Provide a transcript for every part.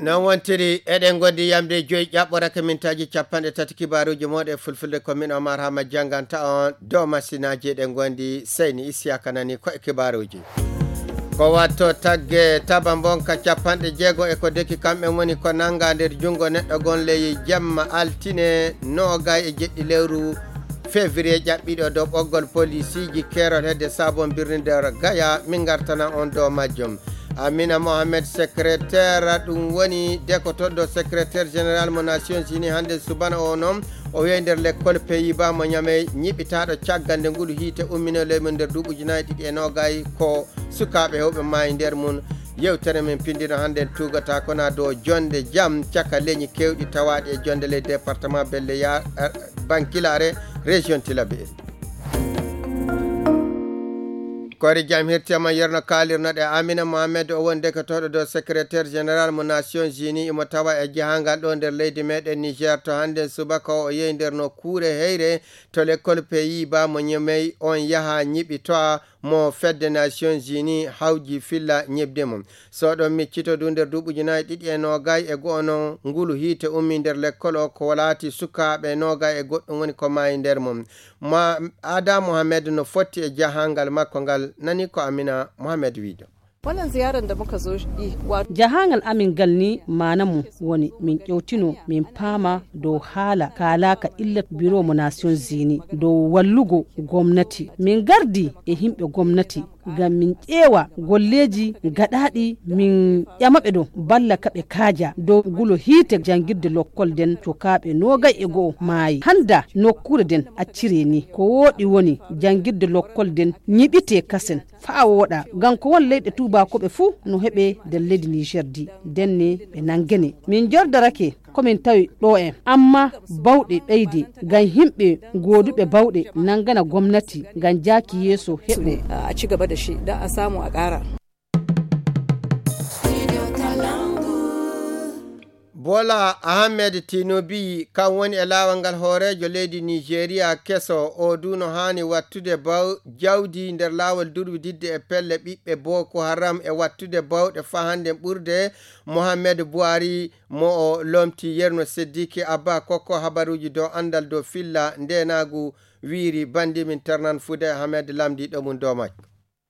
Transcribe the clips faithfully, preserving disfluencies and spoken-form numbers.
Noon wontiri, eɗen ngondi yamde joyi ƴaɓɓorake mintaaji capanɗe tati kibaaruuji mooɗon e fulfulde. Ko min Omar Hama jannganta on dow masinaaji. Eɗen ngondi Seyni Isiyaka nani ko e kibaaruuji. Ko watto tagge taba mbonka capanɗe jeego e ko deki kamɓe woni ko nannga nder junngo neɗɗo gon ley jamma altine noogay e jeɗɗi lewru février ƴaɓɓiɗo dow ɓoggol polisiiji keerol hedde Sabon Birni nder Gaya. Min ngartana on dow majjum. Amina Mohamed, secrétaire, ɗum woni dekotoɗo secrétaire général mo Nations Unies hannde subana o noon. O wiyi nder lekkol Pays-Bas mo Ñamey, ñiɓitaaɗo caggal nde ngulu hiite ummino leydi mum nder duuɓi ujunaaji ɗiɗi e noogay, ko sukaaɓe heewɓe maayi nder mum. Yewtere men pindino hannde en tuugata kona dow jonde jam caka leñi keewɗi tawaaɗi e jonde ley département Belle Yare, eh, Bankilare, région Tillabéri. Koori jam hirtema yerno kaalirnoɗe Amina Mohamed, o woni dekotooɗo dow secrétaire général mo Nations Unies, imo tawa e jahangal ɗo nder leydi meɗen Niger. To hannde subaka o yehi nder nokkuure heyre to lekkol Pays-Bas mo Ñamey, on yaha ñiɓi toa mo fedde Nations Unies hawji filla ñiɓde mum. So ɗon miccito du nder duuɓi ujunaaji ɗiɗi e noogay e go'o noon ngulu hiite ummi nder lekkol o ko laati sukaaɓe noogay e goɗɗum woni ko maayi nder mum. Ma Ada Mohamed no fotti e jahangal makko ngal, nani ko Amina Mohamed wiiɗo. Wannan ziyarar da muka zo yi, wa- Jahangal amin ngal ni maana mum woni min ƴewtino min paama dow haala kaalaaka illat biro mo Nations Unies dow wallugo gomnati. Min ngardi e yimɓe gomnati ngam min ƴeewa golleeji gaɗaaɗi, min ƴama ɓe ɗo balla ka ɓe kaaja dow gulo hiite janngirde lokkol nden cukaaɓe noogay e go'o maayi. Hannda nokkuure nden accire ni ko wooɗi woni janngirde lokkol nden ñiɓite kasen faa wooɗa. Ngam ko won leyɗe tuubakooɓe fuu no heɓe nder leydi Niger di. Nden ne ɓe nanngene. Min jordarake ko min tawi ɗo en. Amma bawɗe ɓeyde ngam yimɓe gooduɓe bawɗe nanngana gomnati ngam jaaki yeeso heɓo. A ci gaba da shi don a samu a ƙara. Bola Ahmed Tinubu, kan woni e laawol ngal hooreejo leydi Nigeria keso, o du no haani wattude baw-, jawdi nder laawol durwididde e pelle ɓiɓɓe Boko Haram e wattude bawɗe faa hannde ɓurde Mohamed Buhari mo o lomti. Yerno Siddiqui Abba kokko habaruuji dow anndal dow filla ndeenaagu wiiri bandi min ternan fude Ahmed lamdi ɗo mum dow makko.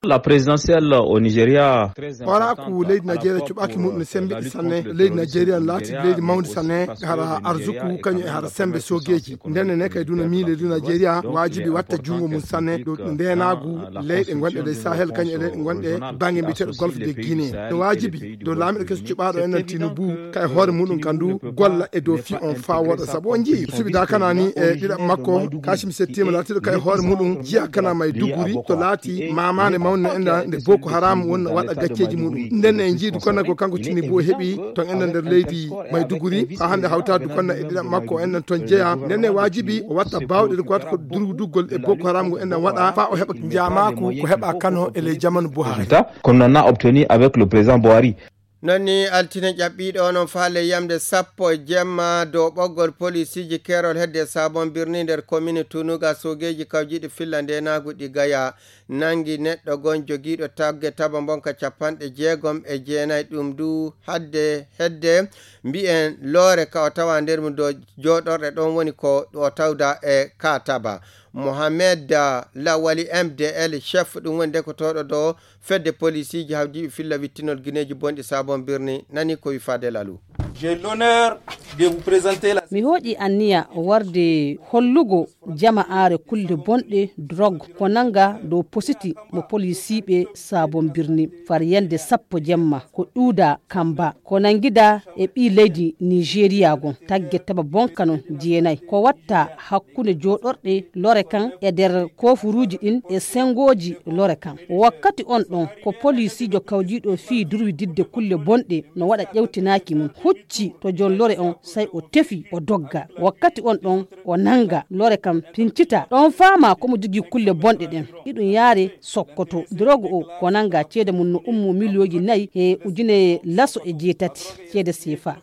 La présidentielle au Nigeria. Hooraaku leydi Nigeria cuɓaaki muɗum ne sembiɗi sanne. Leydi Nigeria ne laati leydi mawndi sanne, hara arzuku kañum e hara sembe soogeeji. Ndenne ne kay duna miile du Nigeria waajibi watta junngo mum sanne dow ndeenaagu leyɗe gonɗe ley Sahel kañum e leyɗe gonɗe bannge mbiyeteeɗo Golfe de Guinée. No waajibi dow laamiiɗo keso cuɓaaɗo en nan Tinubu kay hoore muɗum kan du golla e dow fii on faa wooɗa. Sabu on njii suɓi da kana ni e ɗiɗaɓ makko Kashim Shettima laatiiɗo kay hoore muɗum jiya kana Maiduguri to laati maamaande mawnde enɗan nde Boko Haram woni no waɗa gacceeji muɗum. Nden en njii du konna ko kanko Tinubu o heɓi ton enɗan nder leydi Maiduguri faa hannde hawtaade du konna e ɗiɗaɓ makko enɗan ton jeya. Nden ne waajibi o watta baawɗe ɗe ko watta ko durduggol e Boko Haram ngo enɗan waɗa faa o heɓa njaamaaku ko heɓa kano e ley jamanu Buhari. Résultat qu'on en a obtenu avec le président Buhari. Noon ni altine ƴaɓɓiiɗo onon faale yamde sappo e jemma dow ɓoggol polisiiji keerol hedde Sabon Birni nder komini Tunuga, soogeeji kawjiiɗi filla ndeenaagu ɗi Gaya nanngi neɗɗo gon jogiiɗo tagge taba mbonka capanɗe jeegom e jeenayi, ɗum du hadde hedde mbiyen loore ka o tawa nder mum dow jooɗorɗe ɗon woni ko o tawda e ka taba. Mohamed, ah, Lawali M D L chef ɗum woni dekotooɗo dow fedde polisiiji hawjiiɓe filla wittinol gineeji bonɗi Sabon Birni nani ko wi Fadel Alou. J'ai l'honneur de vous présenter la Mi hooƴi anniya warde hollugo jama'aare kulle bonɗe drogue ko nanga dow positi mo polisiiɓe Sabon Birni far yande sappo jemma ko ɗuuda kamba ko nangida e ɓii leydi Nigeria gon tagge taba bonka non jeenayi ko watta hakkunde jooɗorɗe lore kan e nder kofuruuji ɗin e sengooji lore kan. Wakkati on ɗon ko polisiijo kawjiiɗo fii durwididde kulle bonɗe no waɗa ƴewtinaaki mum hucci to jon lore on, sai o tefi o dogga. Wakkati on ɗon o nanga lore kan pincita. Ɗon faama ko mo jogii kulle bonɗe ɗen. Iɗum yaare Sokoto. Drogue o ko nanga ceede mum no ummo miliyooji nayi e ujune laso e jeetati ceede seefa.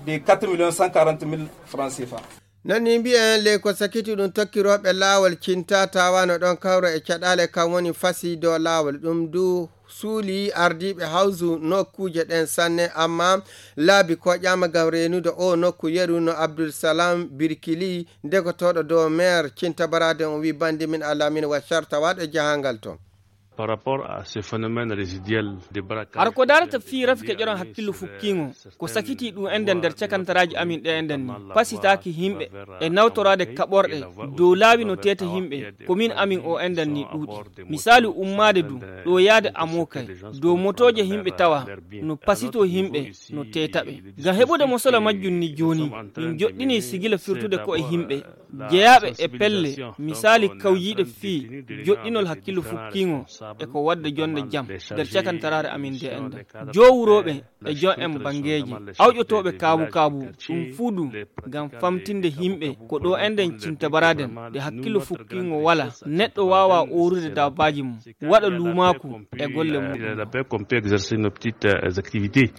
De quatre millions cent quarante mille francs C F A. Noon ni mbiyen ley ko sakiti ɗum tokkirooɓe laawol cinta tawano ɗon kawra e caɗaale kan woni fasi dow laawol. Ɗum du Suuli ardiiɓe hawsu nokkuuje ɗen sanne, amma laabi koƴaama ngam reenude o nokku yeru no Abdul Salam Birkili, degotooɗo dow meer Cinta Baraden, o wi bandi min alamin wa carta waɗo e jahangal ton. Par rapport à ce phénomène résiduel de braquage. Har ko darata fii rafi keƴoran hakkillo fukkiŋo, ko sakitii ɗum enɗan nder cakantaraaji amin ɗe enɗan ni. Pasitaaki himɓe e nawtoraade kaɓorɗe dow laawi no teeta himɓe, ko min amin o enɗan ni ɗuuɗi. Misaali ummaade du ɗo yaade Amokay, dow motooje himɓe tawa no pasitoo himɓe, no teeta ɓe. Ngam heɓude mosola majjum ni jooni, min joɗɗinii sigila firtude ko e himɓe jeyaaɓe e pelle, misaali kawjiiɗe fii joɗɗinol hakkillo fukkiiŋo e ko wadda jonde jam nder cakantaraare amin nde enɗan. Jowurooɓe e jon en banngeeji, awƴotooɓe kaabu-kaabu, ɗum fuu du ngam famtinde himɓe ko ɗo enɗan cinta baraden, nde hakkillo fukkiiŋo wala, neɗɗo waawa oorude daabaaji mum, waɗa luumaaku e golle mum. La paix qu'on peut exercer nos petites, euh, activités.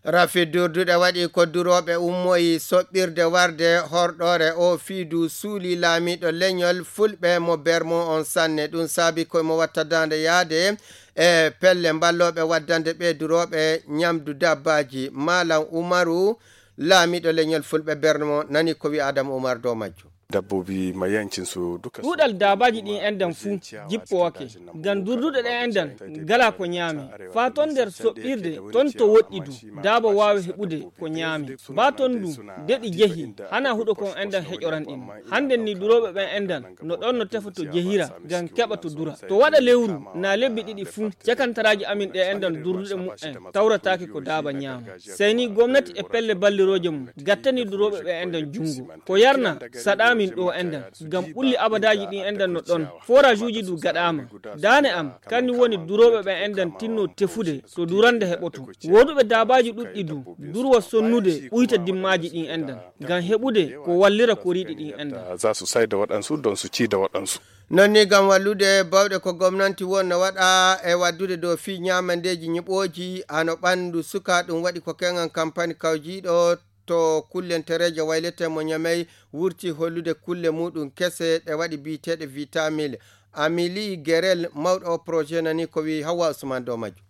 Rafi durduɗe waɗi ko durooɓe ummoyi soɓɓirde warde horɗoore o fii du suuli laamiiɗo leñol Fulɓe mo Bermo on sanne. Ɗum saabi koye mo watta daande yaade e pelle mballooɓe waddande ɓe durooɓe ñamdu dabbaaji. Maalam Umaru, laamiiɗo leñol Fulɓe Bermo, nani ko wi Adam Umar dow majjum. Dabbobi ma yancin su duka su. Ɗuuɗal daabaaji ɗin enɗan fuu jippowake. Ngam durduɗe ɗen enɗan ngala ko ñaami. Faa ton nder soɓɓirde, ton to woɗɗi du, daaba waawi heɓude ko ñaami. Baa ton du, de ɗi jehi, hana huɗo kon enɗan heƴoran ɗin. Hannden ni durooɓe ɓen enɗan no ɗon no tefa to jehira, ngam keɓa to dura. To waɗa lewru, naa lebbi ɗiɗi fuu, cakantaraaji amin ɗe enɗan durduɗe mu'en tawrataake ko daaba ñaama. Sey ni gomnati e pelle ballirooje mum gattani durooɓe ɓe enɗan junngo. Ko yarna saɗaamin ɗo enɗan, ngam ɓulli abadaaji ɗin enɗan no ɗon. Foraajuuji du gaɗaama. Daane am, kanni woni durooɓe ɓe enɗan tinno tefude to durande heɓoto. Wooduɓe daabaaji ɗuɗɗi du, durwa sonnude ɓuyta dimmaaji ɗin enɗan, ngam heɓude ko wallira koriiɗi ɗin enɗan. Za su sai da waɗansu don su ci da waɗansu. Non ni ngam wallude bawɗe ko gomnanti won no waɗa e waddude dow fii ñaamandeeji ñiɓooji hano ɓanndu suka, ɗum waɗi ko keŋan kampani kawjiiɗo to kullentereejo waylete mo Ñamey wurti hollude kulle muɗum kese ɗe waɗi biyeteeɗe vitamil. Amili Gerel, mawɗo o projet nani ko wi Hawwa Usman dow majjum.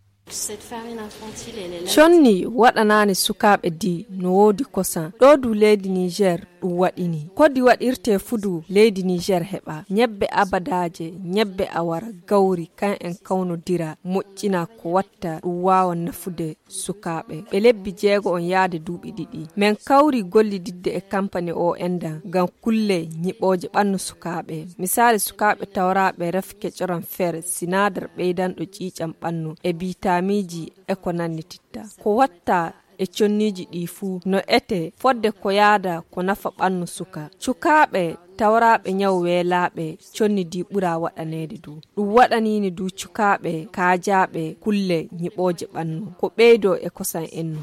Conni waɗanaani sukaaɓe di no woodi kosan. Ɗo du leydi Niger ɗum waɗini. Ko di waɗirtee fu du leydi Niger heɓa. Ñebbe abadaaje, ñebbe awara, gawri, kan en kawnodira, moƴƴina ko watta ɗum waawa nafude sukaaɓe. Ɓe lebbi jeego on yaade duuɓi ɗiɗi. Men kawri gollididde e kampani o enɗan ngam kulle ñiɓooje ɓannu sukaaɓe. Misaali sukaaɓe tawraaɓe ref kecoran fer, sinaadar ɓeydanɗo ƴiiƴam ɓannu e biitaamiiji e ko nannititta. Ko watta e conniiji ɗii fuu no etee fodde ko yaada ko nafa ɓannu suka. Cukaaɓe tawraaɓe ñaw weelaaɓe conni di ɓura waɗaneede du. Ɗum waɗaniini du cukaaɓe kaajaaɓe kulle ñiɓooje ɓannu. Ko ɓeydoo e kosan ennu.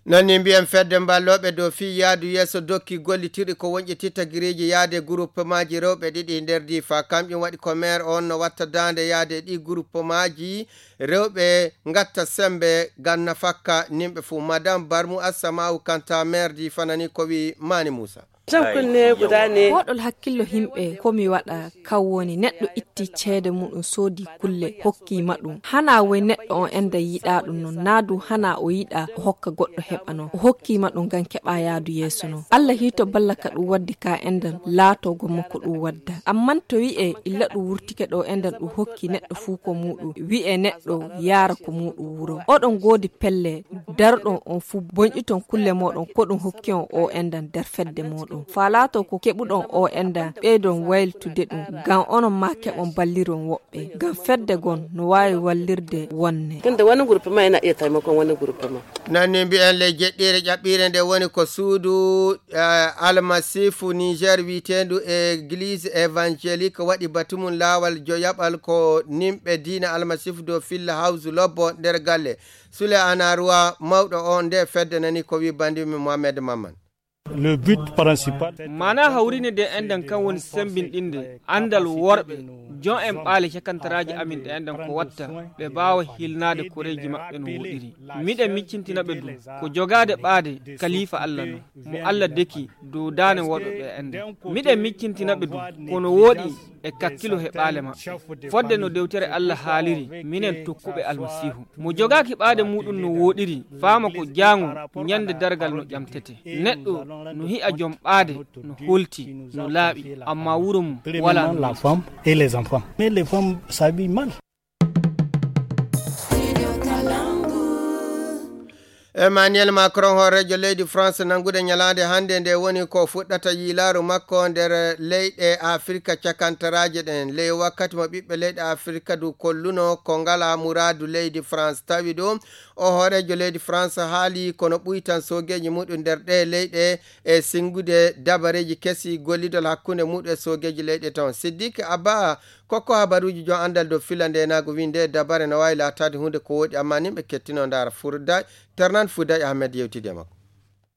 Non ni mbiyen fedde mballooɓe dow fii yaadu yeeso dokki gollitirɗi ko wonƴititta gireeji yaade guruppemaaji rewɓe ɗiɗi nder diifa. Kamƴum waɗi ko meer on no watta daande yaade ɗi guruppemaaji rewɓe ngatta sembe ngam nafakka nimɓe fuu. Madame Barmu Assama'u Kanta, meer diifa nani ko wi Mani Muusa. Hoɗol hakkillo himɓe ko mi waɗa kan woni neɗɗo itti ceede muɗum soodi kulle hokki ma ɗum. Hana woy neɗɗo on enda yiɗa ɗum non, naa du hana o yiɗa o hokka goɗɗo heɓa non. O hokki ma ɗum ngam keɓa yaadu yeeso non. Allah hito balla ka ɗum waddi ka endan laatogo mo ko ɗum wadda. Amman to wi'e illa ɗum wurtike ɗo endan ɗum hokki neɗɗo fuu ko muɗum, wi'e neɗɗo yaara ko muɗum wuro. Oɗon goodi pelle darɗon on fuu bonƴiton kulle moɗon ko ɗum hokki on o endan nder fedde moɗon. Faa laato ko keɓuɗon o endan ɓeydon waylitude ɗum, ngam onon maa keɓon balliron woɓɓe. Ngam fedde gon no waawi wallirde wonne. Tunda wani gurpi ma yana iya taimakon wani gurpi ma. Nanni mbi'en ley jeɗɗiire ƴaɓɓiire nde woni ko suudu, eh, almasiifu Niger wi'eteendu Église Évangélique waɗi batu mum laawal joyaɓal ko nimɓe diina almasiifu dow filla hawsu lobbo nder galle. Sule Anaruwa, mawɗo on nde fedde nani ko wi banndi mum Mohamed Mamman. Le but principal. Maanaa hawrinde nde enɗan kan woni semmbinɗinde anndal worɓe Jon en ɓaale cakantaraaji amin ɗe enɗen ko watta ɓe mbaawa hilnaade koreeji maɓɓe no woɗiri. Miɗen miccintina ɓe du ko jogaade ɓaade kaliifa Alla non, mo Alla deki dow daane waɗuɓe enɗen. Miɗen miccintina ɓe du ko no wooɗi e kakkilo he ɓaale maɓɓe. Fodde no dewtere Alla haaliri, minen tokkuɓe Almasiihu. Mo jogaaki ɓaade muuɗum no wooɗiri, faama ko jaango ñande dargal no ƴamtete. Neɗɗo no hi'a jom ɓaade, no holti, no laaɓi, amma wuro mum walaa no la femme et les enfants. Mais les femmes s'habillent mal. Emmanuel Macron, hooreejo leydi France, nanngude ñalaande hannde nde woni ko fuɗɗata yiilaaru makko nder leyɗe Afirka cakantaraaje ɗen. Ley wakkati mo ɓiɓɓe leyɗe Afirka du kolluno ko ngala muraadu leydi France, tawi ɗo o hooreejo leydi France haali kono ɓuytan soogeeji muɗum nder ɗe leyɗe e singude dabareeji kesi gollidol hakkunde muɗum e soogeeji leyɗe ton. Siddique Abba, kokko habaruuji jon anndal dow filla ndenaagu, winde dabare no waawi laataade huunde ko woɗi, amma nimɓe kettino ndaara. Furday, Ternan Furday Ahmed yewtidi e makko.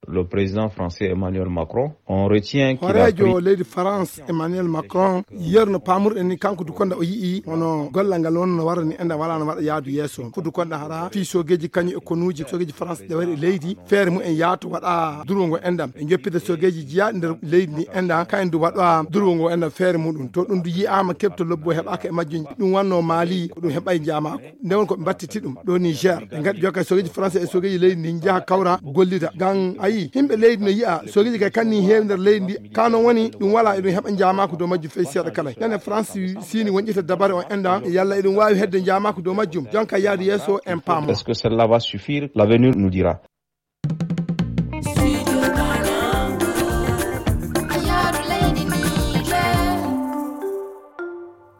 Le président français Emmanuel Macron, on retient qu'il a pris... Horeejo leydi France Emmanuel Macron, yerno paamurɗen ni kanko du konda o yi'i hono gollal ngal wonno no warani enɗam wala no waɗa yaadu yeeso. Fudu konda hara fii soogeeji kañum e konuuji soogeeji France ɗe wari e leydi, feere mu en yaato waɗa durwo ngo enɗam. E joppita soogeeji jiyaaɗi nder leydi ndi enɗam, kayen du waɗa durwo ngo enɗam feere muɗum. To ɗum du yi'aama keɓto lobbo heɓaaka e majjum, ɗum wanno Mali, ko ɗum heɓay njaamaako. Nde won ko ɓe mbattiti ɗum ɗo Niger. Ɓe ngaɗi jokka soogeeji français e soogeeji leydi ndi njaha kawra gollida. Ngam a yii, yimɓe leydi no yi'a soogeeji kay kanni heewi nder leydi ndi. Ka non woni ɗum wala eɗum heɓa njaamaako dow majjum fey seeɗa kala. Nane France siini wonƴita dabare on enɗam, yalla eɗum waawi hedde njaamaako dow majjum. Jonka yaadu yeeso en paamo. Est-ce que celle-là va suffire? L'avenir nous dira.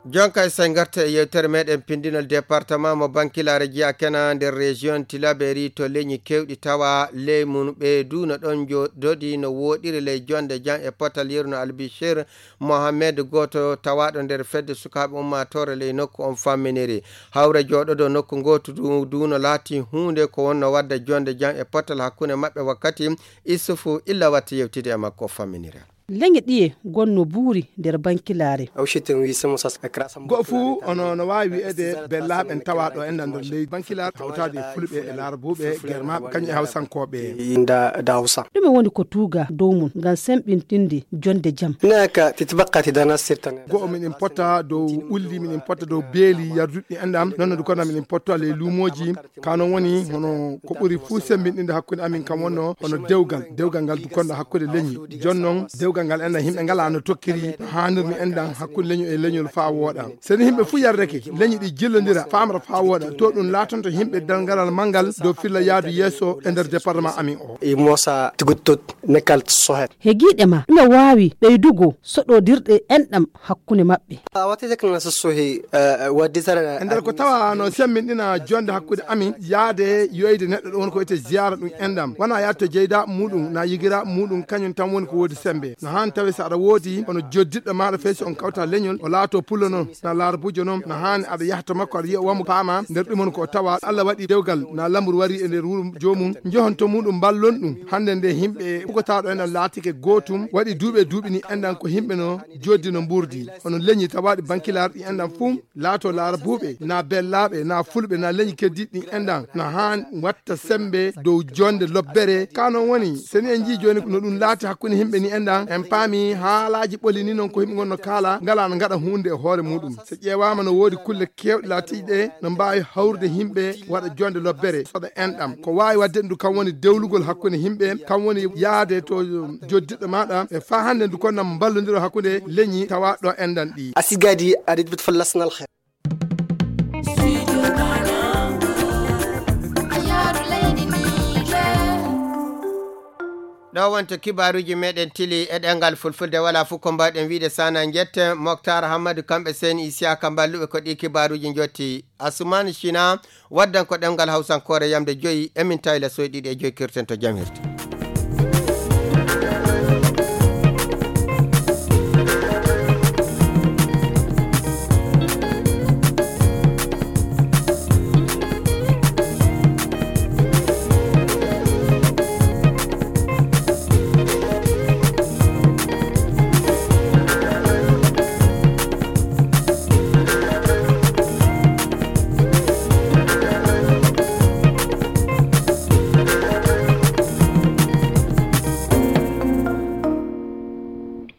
Jonka e say ngarta e yewtere meɗen pindinol département mo Bankilare jeyaa kena nder région Tilaberi to leñi kewɗi tawa ley mum ɓe du no ɗon jooɗodi no woɗiri ley jonde jam e potal yeru no Albishir Mohamed gooto tawaaɗo nder fedde sukaaɓe ummaatoore ley nokku on famminiri. Hawre jooɗodo nokku ngootu du, du no laati huunde ko wonno wadda jonde jam e potal hakkunde maɓɓe wakkati Issoufou Illa watti yewtide e makko famminira. Leñe ɗiye gonno buuri nder Bankilaare. Go fuu ono no waawi wi'eede bellaaɓe en tawaaɗo en nder leydi Bankilaar hawtaade e Fulɓe e Laarabuuɓe, Germaaɓe, kañum e Hawsankooɓe. Ɗume woni ko tuuga dow mum ngam semɓintinde jonde jam? Go miɗen potta dow ulli, miɗen potta dow beeli yarduɗi enɗam, non no du kono miɗen potta ley luumooji. Ka non woni hono ko ɓuri fuu semmbinɗinde hakkunde amin kam wonno hono dewgal. Dewgal ngal du konɗo hakkunde leñi. Jon non dewgal ngal enɗam yimɓe ngala no tokkiri no haanirmi enɗam hakkunde leñol e leñol faa wooɗa. So ni yimɓe fuu yardake, leñi ɗi jillondira, faamra faa wooɗa, to ɗum laatonto yimɓe dalngalal manngal dow filla yaadu yeeso e nder département amin o. E Moosa Tiguttut Nekkal Sohet. He giiɗe ma, ɗume waawi ɓeydugo soɗodirɗe enɗam hakkunde maɓɓe? A watti tek na so sohi, eh, waddi tara. E nder ko tawa no semmbinɗina jonde hakkunde amin, yaade yoyde neɗɗo ɗo woni ko wiyetee ziyaara ɗum enɗam. Wona yaade to jeyda muɗum, na yigira muɗum, kañum tan woni ko woodi sembe. No haan tawi so aɗa woodi, hono joddiɗɗo maaɗo fey so on kawta leñol, o laato pullo non, na laarabujo non, no haani aɗa yaha to makko, aɗa yi'a wamo paama, nder ɗum woni ko o tawa. Allah waɗi dewgal, na lamru wari e nder wuro joomum, njohon to muɗum, mballon ɗum. Hannde nde yimɓe ɓugotaaɗo en laatike gootum, waɗi duuɓi e duuɓi ni enɗam ko yimɓe no joddi no mburdi. Hono leñi tawaaɗi Bankilaar ɗi enɗam fuu, laato Laarabuuɓe, na Bellaaɓe, na Fulɓe, na leñi keddiiɗi ɗi enɗam, na haan watta sembe dow jonde lobbere. Ka non woni, so ni en njii jooni no ɗum laati hakkunde yimɓe ni enɗam, en paami haalaaji ɓoli ni non ko yimɓe ngonno kaala, ngala no ngaɗa huunde e hoore muɗum. So ƴeewaama no woodi kulle keewɗe laatiiɗe no mbaawi hawrude yimɓe waɗa jonde lobbere, soɗa enɗam. Ko waawi waɗde ɗum kam woni dewlugol hakkunde yimɓe, kam woni yaade to joddiɗɗo maaɗa, e faa hannde ndu konnam mballondiro hakkunde leñi tawaaɗo enɗam ɗi. A sigadi aɗa yiɗi fallasnal xeer. Ɗo wonto kibaaruuji meɗen tili e ɗemngal fulfulde, wala fof ko mbawɗen wiide sana njette Moktar Hammadu kamɓe seni Isiyaka mballuɓe ko ɗi kibaaruuji njotti. Asuman Sina waddan ko ɗemngal hawsankoore yamde joyi, emin tawila soyɗiɗi e joyi kirten to jam hirti.